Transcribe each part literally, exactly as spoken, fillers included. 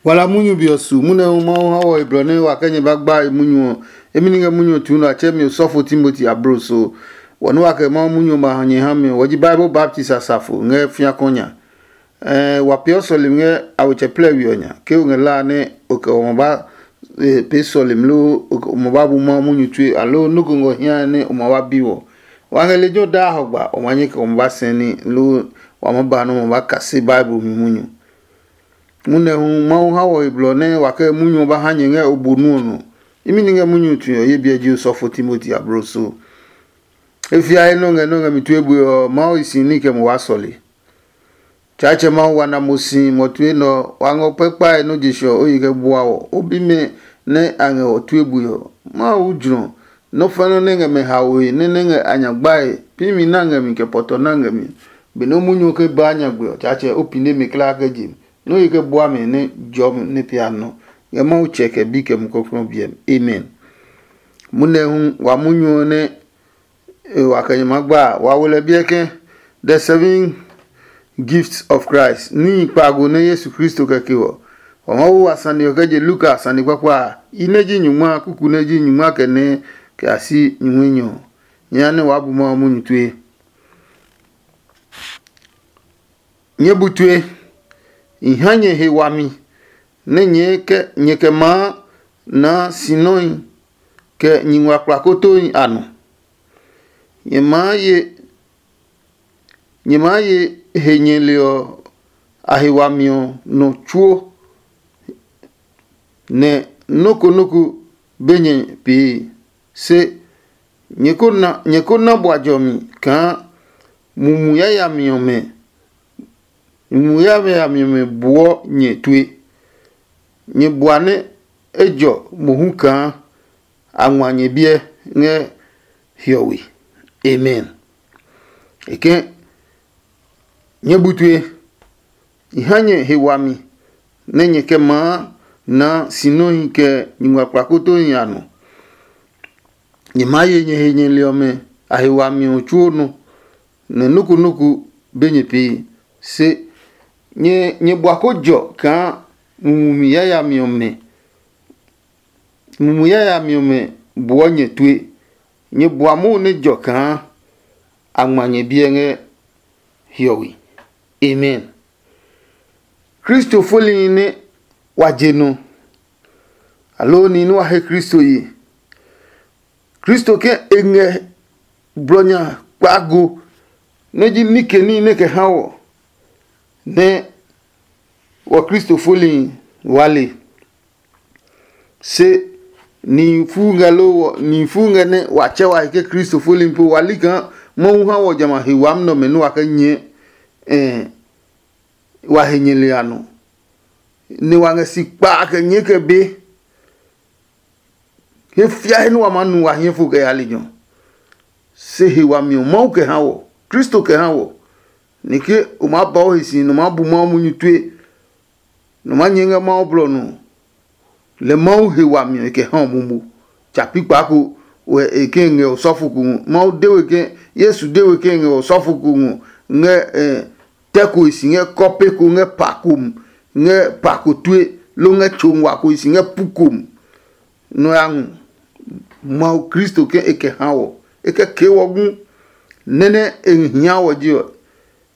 Wala munyu be ɔ su munyu hu Mawu ha wɔ he blɔ nɛ wa kɛ nyɛ ba gba e munyu ɔ. Emi ni ngɛ munyu ɔ tuu nɔ a tsɛ mi osɔfo Timoti abloso. Wɔ nɛ wa kɛ Mawu munyu ɔ ba ha nyɛ ha mi ɔ, wɔ ji Bible baptist asafo ngɛ fiakɔ nya. Ɛɛ wa peeɔ sɔlemi ngɛ awetsɛ plɛ we ɔ nya. Ke o ngɛ la nɛ o kɛ o ma ba pee sɔlemi loo o ma ba bu Mawu munyu tue aloo nɔ́ ko ngɔ hiae nɛ o ma ba bi wɔ. Wa ngɛ lejɛ ɔ daa hɔgba o ma nyɛ kɛ o ma ba sɛni loo wa ma ba nɛ o ma ba kase Bible mi munyu. Munɛ hu Mawu ha wɔ he blɔ nɛ wa kɛ munyu ɔ ba ha nyɛ ngɛ o bo nu ɔ nɔ. Imi ni ngɛ munyu tue ɔ ye biɛ ji osɔfo Timoti abloso. E fiae nɔ ngɛ nɔ ngɛ mi tue bue ɔ, Mawu hi si ní kɛ mo waa sɔle. Tsaatsɛ Mawu wa na mo si mo tue nɛ ɔ, wa ngɔ kpɛkpae nɔ́ je ɔ o yi kɛ bua wɔ. O bimɛ nɛ a ngɛ ɔ tue bue ɔ, Mawu jlɔ. Nɔ́ fɛnɛ nɛ ngɛ mɛ haoe nɛ nɛ ngɛ a nya gbae, pi mi na ngɛ mi kɛ pɔtɔ na ngɛ mi. Benɛ o munyu ke baa nyagbe ɔ, Tsaatsɛ o pine mi kulaa kɛ je mi. Nɔ́ yi kɛ bua mi nɛ jɔ mi nɛ pia nɔ. Ngɛ Mawu Tsɛ kɛ Bi kɛ Mumi Klɔuklɔu biɛ mi. Amen. Munɛ hu wa munyu ɔ nɛ e wa kɛ nyɛ maa gba a, wa wo lɛ biɛ ke the seven gifts of Christ, níhi kpaago nɛ Yesu Kristo kɛ ke ɔ. Wa maa wo wa sane ɔ kɛ je Luka sane kpakpa a, yi nɛ ji nyungma a, kuku nɛ ji nyungma kɛ nɛ kɛ a si nyumu enyɔ ɔ. Nyɛ ya nɛ waa bu Mawu munyu tue. Nyɛɛ bu tue, i ha nyɛ he wami nɛ nyɛɛ kɛ nyɛ kɛ maa naa sinɔhi kɛ nyingma kplakotohi a nɔ. Nyɛ maa ye nyɛ maa ye he nyɛli ɔ a he wami ɔ nɔ tsuo, nɛ nɔ́ ko nɔ́ ko be nyɛ pee. Se nyɛ ko na nyɛ ko na bua jɔmi kaa mumi yayami ɔmɛ mumi yayami ɔmɛ buɔ nyɛ tue. Nyɛ bua nɛ ejɔ mohu kaa a ngma nyɛ biɛ ngɛ hiɔwe. Amen. E ke nyɛ bu tue, i ha nyɛ he wami nɛ nyɛ kɛ maa naa sinɔhi kɛ nyingma kplakotohi a nɔ. Nyɛ maa ye nyɛ he nyɛli ɔmɛ a he wami ɔ tsuo nɔ, nɛ nɔ́ ko nɔ́ ko be nyɛ pee. Se nyɛ nyɛ bua ko jɔ kaa mumi yayami ɔmɛ mumi yayami ɔmɛ buɔ nyɛ tue. Nyɛ bua Mawu nɛ jɔ kaa a ngma nyɛ biɛ ngɛ hiɔwe. Amen. Kristo folihi nɛ wa je nɔ, aloo nihi nɛ wa he Kristo ye. Kristo ke e ngɛ blɔ nya kpaago nɛ ji nike níhi nɛ kɛ ha wɔ nɛ wɔ Kristo folihi wa le. Se nihi fu ngɛ loo wɔ nihi fu ngɛ nɛ wa tsɛ wa he ke Kristo folihi po wa li kaa Mawu ha wɔ jamɛ a he wami nɛ ɔmɛ nɛ wa kɛ nyɛɛ wa he nyɛli a nɔ, nɛ wa ngɛ si kpaa kɛ nyɛɛ kɛ be. He fia he nɛ wa maa nu wa hiɛ fo kɛ ya lejɛ ɔ. Se he wami ɔ Mawu kɛ ha wɔ, Kristo kɛ ha wɔ. Nɛ ke o maa ba o he si nɛ o maa bu Mawu munyu tue, nɛ o maa nyɛɛ ngɛ Mawu blɔ nɔ, lɛ Mawu he wami ɔ e kɛ ha o momo. Tsa pi kpaa ko wɛ e ke ngɛ osɔfo ko ngɔ. Mawu de we ke Yesu de we ke ngɛ osɔfo ko ngɔ ngɛ tɛ ko e si ngɛ kɔpe ko ngɛ pa ko mu, ngɛ pa ko tue, loo ngɛ tso ngua ko e si ngɛ pu ko mu. Nɔ ya ngɔ Mawu Kristo ke e kɛ ha wɔ, e kɛ kee wɔ gu. Nɛ́ nɛ e hia wɔ je ɔ,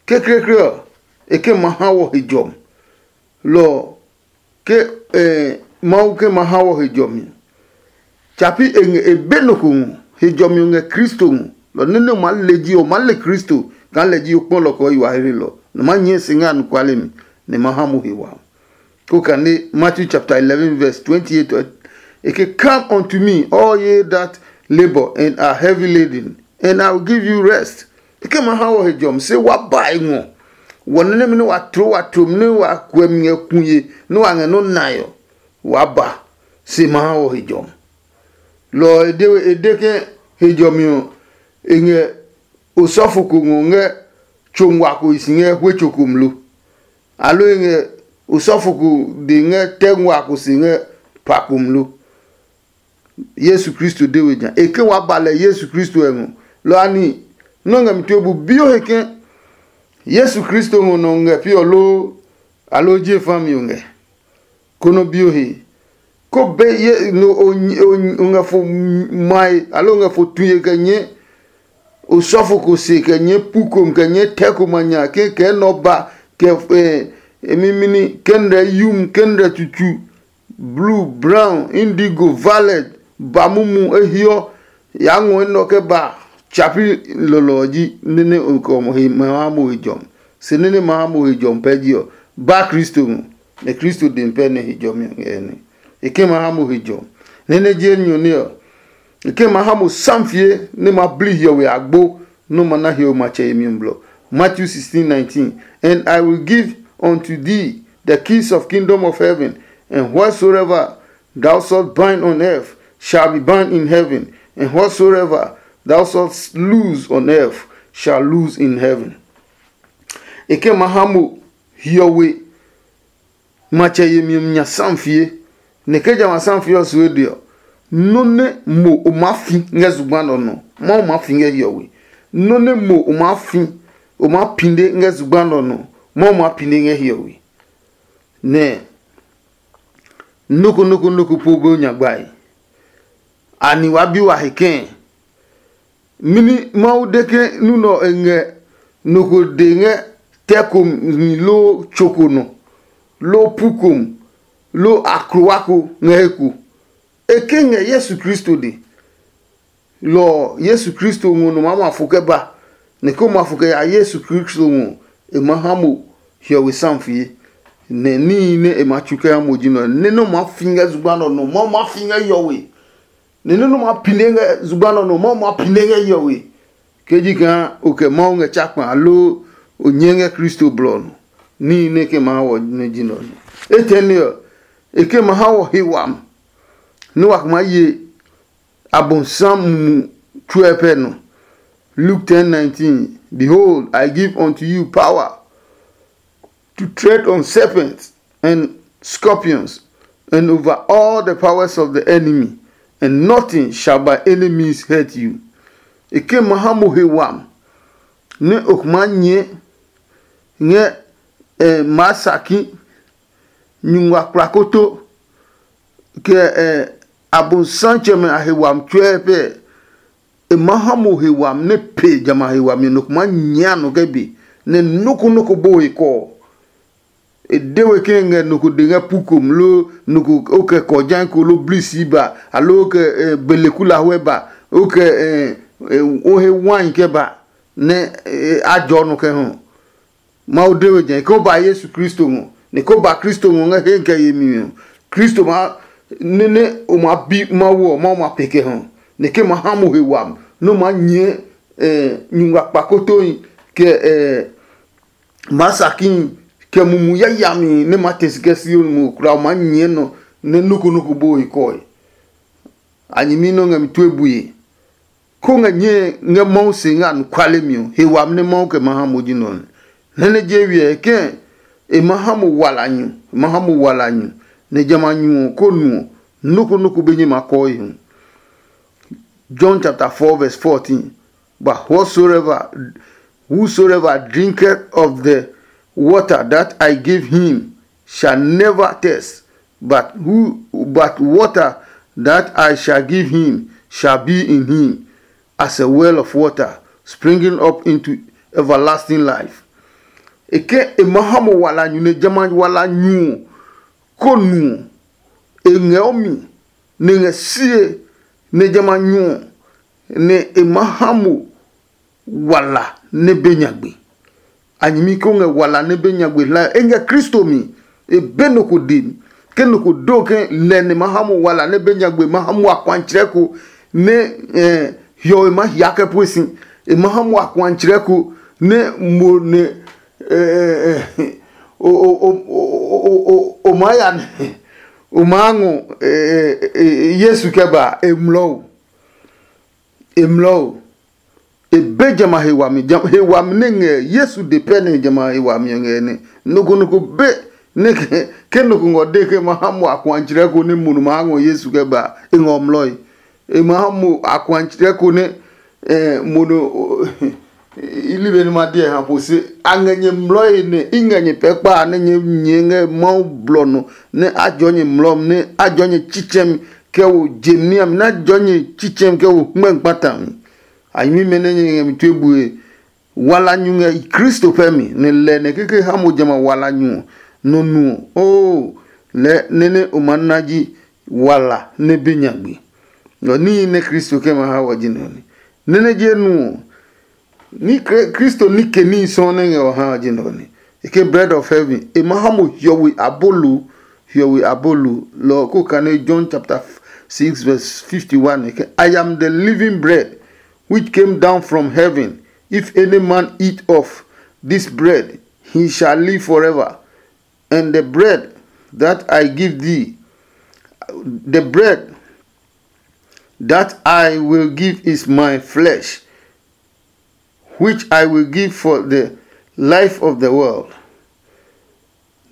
kekleekle ɔ, e ke ma ha wɔ he jɔmi. Lɔ ɔ, ke Mawu ke ma ha wɔ he jɔmi ɔ, tsapi e ngɛ e be nɔ ko ngɔ. He jɔmi ɔ ngɛ Kristo ngɔ. Lɔ nɛ nɛ o maa le ji ɔ, o maa le Kristo kaa lɛ ji o kpɔlɔ kɛ o yi wa hegelɔ, nɛ o maa nyɛɛ si ngɛ anɔkuale mi, nɛ e ma ha mo he wami. Ko kane Matthew chapter eleven verse twenty-eight ɔ, e ke, "Come unto me, all ye that labor and are heavy laden, and I will give you rest." E ke ma ha wɔ he jɔmi, se wa ba e ngɔ. Wɔ nɛ nɛmɛ nɛ wa tloo wa tlomi nɛ wa kuɛ mi ngɛ kuye nɛ wa ngɛ nɔ́ nae ɔ, wa ba, se ma ha wɔ he jɔmi. Lɔ ɔ e de we e de ke he jɔmi ɔ e ngɛ osɔfo ko ngɔ ngɛ tso ngua ko si ngɛ hwe tso ko mlo, aloo e ngɛ osɔfo ko de ngɛ tɛ ngua ko se ngɛ pa ko mlo. Yesu Kristo de we nya e ke wa ba lɛ Yesu Kristo ɛ ngɔ. Lɔ ani nɔ́ ngɛ mi tue bu bi o he ke Yesu Kristo ngɔ nɔ ngɛ pi ɔ loo, aloo je fa mi o ngɛ? Konɔ bi o he. Ko be ye no o ngɛ fo mae, aloo o ngɛ fo tue kɛ nyɛ osɔfo ko se, kɛ nyɛ pu kom, kɛ nyɛ tɛ ko ma nya ke kɛ nɔ ba, kɛ mimini, kɛnrɛ yum, kɛnrɛ tsutsu, blue, brown, indigo, violet, ba mumu ehiɔ, ya ngɔ enɛ ɔ kɛ ba tsapi lɔlɔ ɔ ji nene okɛ ɔ he ma ha mo he jɔmi. Se nene ma ha mo he jɔmi pɛ ji ɔ, ba Kristo ngɔ, nɛ Kristo demi pɛ nɛ he jɔmi ɔ ngɛ nɛ e ke ma ha mo he jɔmi. Nene ji enyɔ nɛ ɔ, e ke ma ha mo samfie nɛ ma bli hiɔwe agbo, nɛ ma na hiɔwe matsɛ yemi ɔ blɔ. Matthew sixteen nineteen. And I will give unto thee the keys of kingdom of heaven, and whatsoever thou shalt bind on earth shall be bound in heaven, and whatsoever thou shalt loose on earth shall loose in heaven. E ke ma ha mo hiɔwe matsɛ yemi ɔ nya samfie, nɛ ke jamɛ a samfie ɔ suɔ de ɔ, nɔ́ nɛ mo o maa fi ngɛ zugba nɛ ɔ nɔ, Mawu maa fi ngɛ hiɔwe. Nɔ́ nɛ mo o maa fi, o maa pine ngɛ zugba nɛ ɔ nɔ, Mawu maa pine ngɛ hiɔwe. Nɛ nɔ́ ko nɔ́ ko nɔ́ ko po be o nya gbae. Ani wa bi wa he kɛ̃? Mɛni Mawu de ke nu nɛ ɔ e ngɛ nɔ ko de ngɛ tɛ ko mi loo tso ko nɔ, loo pu ko mi, loo aklowa ko ngɛ he ko? E ke ngɛ Yesu Kristo de. Lɔ ɔ, Yesu Kristo ngɔ nɔ maa ma fo kɛ ba, nɛ ke o ma fo kɛ ya Yesu Kristo ngɔ, e ma ha mo hiɔwe samfie. Nɛ níhi nɛ e ma tsu kɛ ha mo ji nɛ ɔ, nɛ nɔ́ maa fi ngɛ zugba nɛ ɔ nɔ, Mawu maa fi ngɛ hiɔwe. Nɛ nɔ́ nɛ ma pine ngɛ zugba nɔ nɔ, Mawu ma pine ngɛ hiɔwe. Ke ji kaa o kɛ Mawu ngɛ tsa kpa aloo o nyɛ ngɛ Kristo blɔ ɔ nɔ, níhi nɛ ke ma ha wɔ nɛ ji nɛ ɔ nɛ. Etɛne ɔ, e ke ma ha wɔ he wami, nɛ wa kma ye Abonsam mu tsuɛ pɛ nɔ. Luke ten nineteen. Behold, I give unto you power to tread on serpents and scorpions, and over all the powers of the enemy, and nothing shall by any means hurt you. E ke ma ha mo he wam, nɛ o kuma nyɛ ngɛ eh, maa saki, nyungma kplakoto, kɛ eh, abonsam tsɛmɛ a he wam tsuɛ pɛ. E ma ha mo he wami nɛ pe jamɛ a he wami nɔ kuma nyia nɔ kɛ be, nɛ nɔ́ ko nɔ́ ko bo he kɔɔ. E de we ke ngɛ nɔ ko de ngɛ pu kom, lo nɔ ko o kɛ kɔjai ko, lo blisi ba, alo o kɛ eh, belekulahuɛ ba, o kɛ eh, eh, o he wai kɛ ba, nɛ eh, a jɔ nɔ kɛ hɔ. Mawu de we jɛ ko ba Yesu Kristo ngɔ, nɛ ko ba Kristo ngɔ ngɛ he kɛ yemi ɔ. Kristo ma nene o ma bi Mawu ɔ, Mawu ma pe kɛ hɔ, nɛ ke ma ha mo he wam, nɛ o ma nyɛ eh, nyungma kpakotohi kɛ eh, maa sakihi kɛ mumu yayami nɛ ma te si kɛ Sion mu kura o ma nyɛ nɔ nɛ noko noko bo he kɔe. A nyɛmi nɔ ngɛ mi tue bue. Ko ngɛ nyɛe ngɛ Mawu se ngɛ anɔkuale mi ɔ, he wami nɛ Mawu kɛ ma ha mo ji nɔ nɛ. Nɛ nɛ je wiɛ kɛ e ma ha mo wala nyu, e ma ha mo wala nyu, nɛ jamɛ a nyu ɔ ko nu ɔ, noko noko be nyɛ ma kɔɔ e hu. John chapter four verse fourteen. But whatsoever, whosoever drinketh of the water that I give him shall never thirst, but who but water that I shall give him shall be in him as a well of water springing up into everlasting life. E ke e ma ha mo wala nyu nɛ jamɛ wala nyu ɔ, ko nu ɔ, e ngɛ o mi, nɛ e ngɛ sie, nɛ jamɛ a nyu ɔ, nɛ e ma ha mo wala nɛ be nyagbe. A nyɛmi ko ngɛ wala nɛ be nyagbe hlae, e ngɛ Kristo mi. E be nɔ ko de mi. Ke nɔ ko do ke lɛ nɛ ma ha mo wala nɛ be nyagbe, ma ha mo akuantsrɛ ko nɛ eh, hiɔwe ma hia kɛ pue si. E ma ha mo akuantsrɛ ko nɛ mo nɛ eh, eh, eh, o, o, o, o, o, o, o, o maa ya nɛ o maa ngɔ eh, eh, eh, Yesu kɛ ba e mlɔ o. E mlɔ o. E be jamɛ a he wami. Jam, he wami nɛ ngɛ Yesu de pɛ nɛ jamɛ a he wami ɔ ngɛ nɛ. Noko noko be nɛ ke, ke noko ngɔ de ke ma ha mo akuantsrɛ ko nɛ mo nu ma ha ngɔ Yesu kɛ ba, e ngɔ mlɔe. E ma ha mo akuantsrɛ ko nɛ eh, mo nu I li be nɛ ma diɛ ha po se a ngɛ nyɛ mlɔe nɛ i ngɛ nyɛ pɛ kpa nɛ nyɛ nyɛ ngɛ Mawu blɔ nɔ nɛ a jɔ nyɛ mlɔ nɛ a jɔ nyɛ tsitsɛmi kɛ wo je niami nɛ a jɔ nyɛ tsitsɛmi kɛ wo hmɛ kpata mi. A nyɛmimɛ nɛ nyɛ ngɛ mi tue bue wala nyu ngɛ Kristo pɛ mi nɛ lɛ nɛ keke ha mo jamɛ a wala nyu ɔ nɔ nu ɔ. Oo, lɛ nɛ nɛ o ma na ji wala nɛ be nyagbe. Ɔ níhi nɛ Kristo kɛ ma ha wɔ ji nɛ ɔ ne. Nɛ nɛ je nu ɔ, ní Kri- Kristo ní ke níhi sɔɔ nɛ ngɛ ɔ ha wɔ ji nɛ ɔ ne. E ke bread of heaven e ma ha mo hiɔwe abolo. Hiɔwe abolo lɔ ɔ ko kane John chapter six verse fifty-one e ke, "I am the living bread which came down from heaven. If any man eat of this bread, he shall live forever. And the bread that I give thee, the bread that I will give is my flesh, which I will give for the life of the world."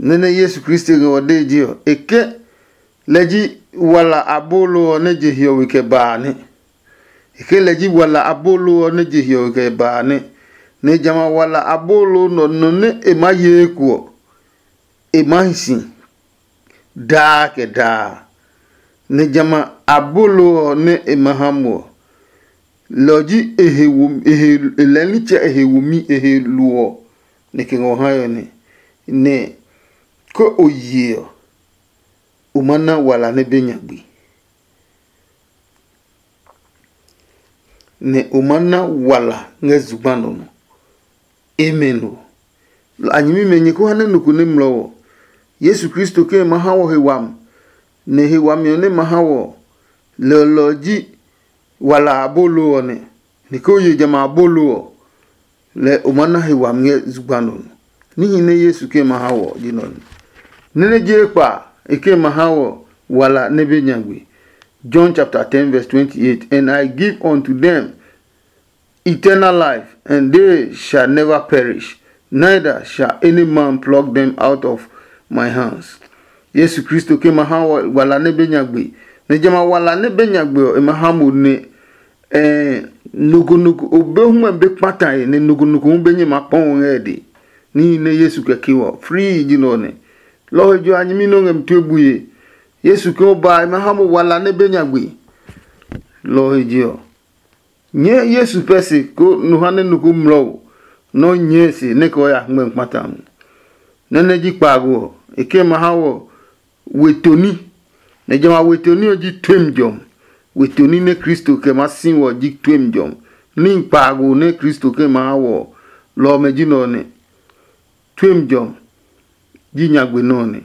Nɛ́ nɛ Yesu Kristo ngɛ ɔ dee je ɔ, e ke lɛ ji wala abolo ɔ nɛ je hiɔwe kɛ ba a nɛ. E ke lɛ ji wala abolo ɔ nɛ je hiɔwe kɛ ba a nɛ. Nɛ jamɛ a wala abolo nɔ nɔ nɛ e maa ye eko ɔ, e maa hi si daa kɛ daa. Nɛ jamɛ a abolo ɔ nɛ e ma ha mo ɔ, lɔ ɔ ji e he wo e he e lɛɛ nitsɛ e he womi e he lo ɔ, nɛ kɛ ngɔ ha ɔ nɛ nɛ ko o ye ɔ, o ma na wala nɛ be nyagbe. Nɛ o ma na wala ngɛ zugba nɔ nɔ. Amen o. A nyɛmimɛ nyɛ ko ha nɛ nɔ ko nɛ mlɔ ɔ, Yesu Kristo ke ma ha wɔ he wami, nɛ he wami ɔ nɛ ma ha wɔ lɛ ɔ lɔ ɔ ji wala abolo ɔ nɛ. Ni ko ye jamɛ abolo ɔ, lɛ o ma na he wami ngɛ zugba nɔ nɔ. Níhi nɛ Yesu ke ma ha wɔ ji nɔ nɛ. Nɛ nɛ je kpa e ke ma ha wɔ wala nɛ be nyagbe. John chapter ten verse twenty-eight, "And I give unto them eternal life, and they shall never perish, neither shall any man pluck them out of my hands." Yesu Kristo ke ma ha wɔ wala nɛ be nyagbe, nɛ jamɛ a wala nɛ be nyagbe ɔ, e ma ha mo nɛ ɛɛ noko noko o be hu be kpata e nɛ noko noko hu be nyɛ ma kpɔn ngɛ de. Níhi nɛ Yesu kɛ ke wɔ frii ji nɔ nɛ. Lɔ he jo a nyɛmi nɔ ngɛ mi tue bue. Yesu ke o ba e ma ha mo wala nɛ be nyagbe. Lɔ he je ɔ, nyɛɛ Yesu pɛ se ko nɔ ha nɛ nɔ ko mlɔ o nɔ́ nyɛɛ se nɛ kɛ o ya ngmɛ kpata a mu. Nɛ nɛ ji kpaago ɔ, e ke ma ha wɔ we toni, nɛ jamɛ a we toni ɔ ji tuemi jɔmi. We toni nɛ Kristo kɛ maa si wɔ ji tuemi jɔmi. Níhi kpaago nɛ Kristo kɛ ma ha wɔ ɔ, lɔ ɔmɛ ji nɛ ɔ nɛ. Tuemi jɔmi ji nyagbe nɛ ɔ nɛ.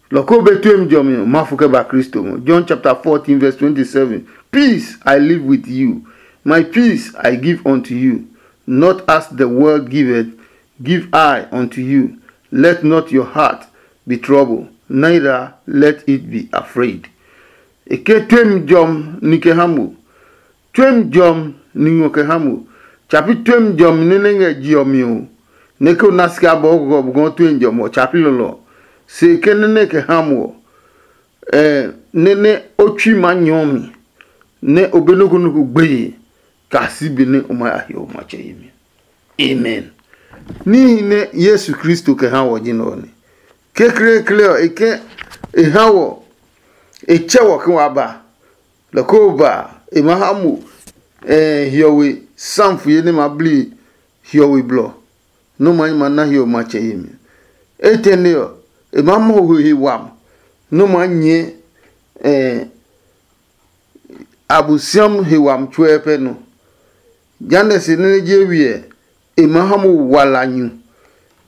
Lɔ ko be tuemi jɔmi ɔ, ma fo kɛ ba Kristo ngɔ. John chapter fourteen verse twenty-seven. "Peace I leave with you, my peace I give unto you. Not as the world giveth, give I unto you. Let not your heart be troubled, neither let it be afraid." E ke tuemi jɔmi ni kɛ ha mo. Tuemi jɔmi ni ngɔ kɛ ha mo. Tsapi tuemi jɔmi nɛ nɛ ngɛ je ɔ mi ɔ, nɛ ke o na sika bɔ o gɔgɔ bugɔ tuemi jɔmi ɔ, tsapi lɔlɔ. Se ke nɛ nɛ kɛ ha mo ɔ, nɛ nɛ o tsui ma nyɔ mi, nɛ o be nɔ́ ko nɔ́ ko gbeye, kaa si be nɛ o ma ya hiɔ o matsɛ yemi. Amen. Níhi nɛ Yesu Kristo kɛ ha wɔ ji nɛ ɔ nɛ. Kekleekle ɔ, e ke e ha wɔ, e tsɛ wɔ ke wa ba. Lɔ ko ba, e ma ha mo hiɔwe samfuye nɛ ma bli hiɔwe blɔ, nɔ́ ma ma na hiɔwe matsɛ yemi. Etɛne ɔ, e ma mɔ ho he wam, nɔ́ ma nyɛɛ Abosiami he wami tsuɛ pɛ nɔ. Jehanɛ se nɛ nɛ je wiɛ, e maa ha mo wala nyu.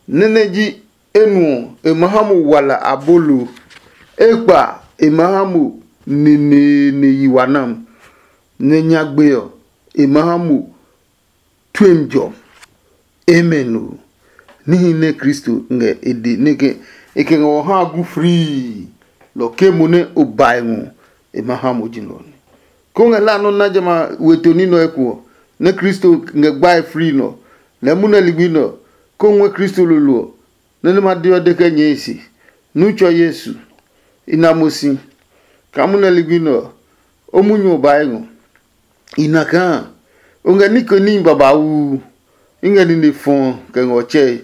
Nɛ nɛ ji enu ɔ, e maa ha mo wala abolo. Ekpa, e maa ha mo neneene yi wa nam. Nɛ nyagbe ɔ, e maa ha mo tuemi jɔ. Amen o. Níhi nɛ Kristo ngɛ e de nɛ ke e kɛ ngɛ wɔ ha gu frii, lɔ ke mo nɛ o bae ngɔ e ma ha mo ji nɔ nɛ. Ko ngɛ hla nɔ na jamɛ a we to ní nɔ eko ɔ, nɛ Kristo ngɛ gbae frii nɔ, lɛɛ munɛ ligbi nɔ, ko ngɔɛ Kristo lolo ɔ, nɛ nɛ ma de ɔ de kɛ nyɛɛ e se, nu tsɔ Yesu, i na mo si, kaa munɛ ligbi nɛ ɔ, o munyu ɔ bae ngɔ. I na kaa O ngɛ ní ko níhi babauu. I ngɛ nine fɔɔ kɛ ngɛ ɔ tsɛe.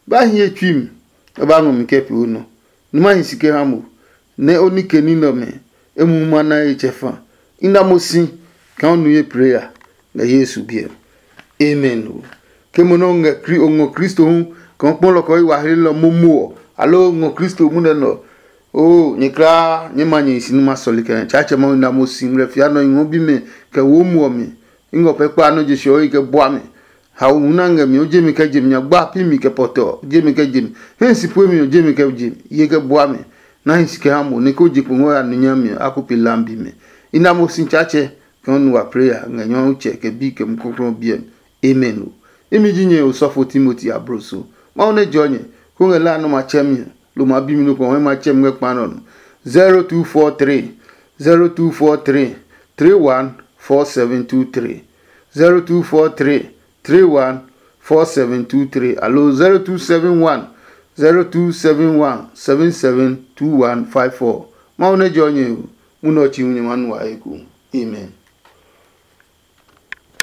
Ba hi ye tsui mi, kɛ ba ngɔ mi kɛ pee o nɔ. Numa hi si kɛ ha mo, nɛ o ní ke ní nɛ ɔmɛ e mu ma na ye tsɛ fa. I na mo si kaa o nu ye plee ya ngɛ Yesu biɛ mi. Amen. O ke mo nɛ o ngɛ Kri- o ngɔ Kristo hu kaa o kpɔ lɔ kɛ o yi wa hlelɔ momo ɔ, aloo o ngɔ Kristo munɛ nɛ ɔ, oo nyɛ kulaa nyɛ ma nyɛ hi si numa sɔli kɛ Tsaatsɛ Mawu na mo si ngmlɛ fia nɔ i ngɔ bimɛ kɛ wo muɔ mi. I ngɔ pɛ kpa nɔ́ je sɛɔ yi kɛ bua mi. Haohu nɛ a ngɛ mi ɔ jemi kɛ jemi, nyagba pi mi kɛ pɔtɔ ɔ jemi kɛ jemi, hɛ si pue mi ɔ jemi kɛ jemi ye kɛ bua mi. Na hi si kɛ ha mo nɛ ko je kpo ngɔ ya nu nyami ɔ a ko pe lambi mɛ. I na mo si Tsaatsɛ kɛ o nu wa plee ya ngɛ Nyɔmtsɛ kɛ Bi kɛ Mumi Klɔuklɔu ɔ biɛ mi. Amen. O imi ji nyɛ osɔfo Timoti abloso. Mawu nɛ jɔ nyɛ ko ngɛ la nɔ ma tsɛ mi lo ma bi mi nɔ ko ma tsɛ mi ngɛ kpa nɔ nɔ. Zero two four three, zero two four three, three one four seven two three, zero two four three, three one four seven two three, alo zero two seven one, zero two seven one, seven seven two one five four. Mawu nɛ jɔ nyɛ o, munɔ chi hu nyɛ ma nu wa eko. Amen.